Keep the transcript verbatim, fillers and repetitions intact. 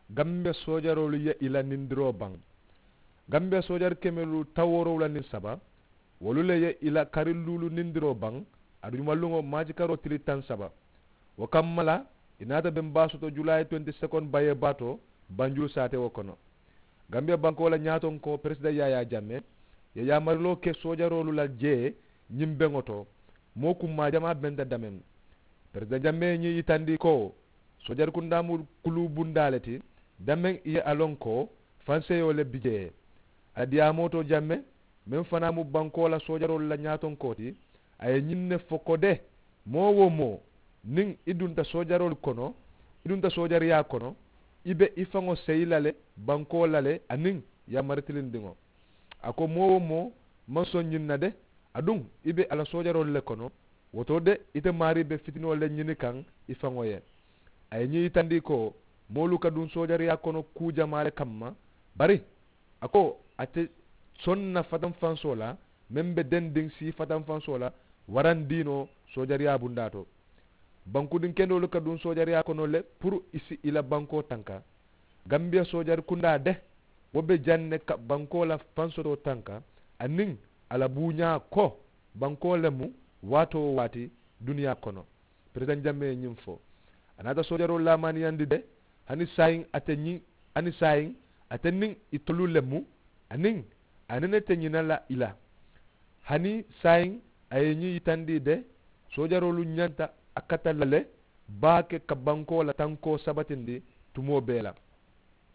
Gambiya soojaroolu ye i la nindiroo baŋ. Gambiya soojari kemelu tawoorowula niŋ saba wolu le ye i la kari luulu nindiroo baŋ. Aduŋ jumaluŋo maajikaroo tili taŋ saba wo kamma la i naata beŋ baa soto julaayi twenty second bayee baa to banjulu saatewo kono. Gambiya bankoo la ñaatonkoo peresida yaayaa jamme ye yaamariloo ke soojaroolu la jee ñiŋ beŋo to. Moo kummaa jamaa benta dameŋ. Peresida jamme ye ñiŋ yitandi ko soojari kundaa mu kuluu bundaa le ti. Dameŋ i ye a loŋ ko fanseyoo le bi jee. A diyaamoo to jamme meŋ fanaa mu bankoo la soojaroolu la ñaatonkoo ti. A ye ñiŋ ne fo ko de moo wo moo niŋ i dunta soojaroolu kono i dunta soojariyaa kono i be i faŋo seyi la le bankoo la le aniŋ yaamari tilindiŋo. A ko moo wo moo maŋ soŋ ñiŋ na de aduŋ i be a la soojaroolu le kono. Wo to de ite maarii be fitinoo le ñini kaŋ i faŋo ye. A ye ñiŋ yitandi ko moolu ka duŋ soojariyaa kono kuu jamaa le kamma. Bari a ko ate soŋ na fatanfansoo la meŋ be dendiŋ sii fatanfansoo la warandiinoo soojariyaa bundaa to. Bankudiŋ kendoolu ka duŋ soojariyaa kono le puru i si i la bankoo tanka. Gambiya soojari kundaa de wo be jaŋ ne ka bankoo la fansotoo tanka aniŋ a la buuñaa ko bankoo le mu waatoo waati duniyaa kono. Perezidaŋ jammee ye ñiŋ fo a naata soojaroolu laamaaniyandi de hani saayiŋ ate ñiŋ hani saayiŋ ate niŋ itolu le mu aniŋ a nene te ñina la i la. Hani saayiŋ a ye ñiŋ yitandi de soojaroolu ñanta a kata la le baake ka bankoo la tankoo sabatindi tumoo bee la.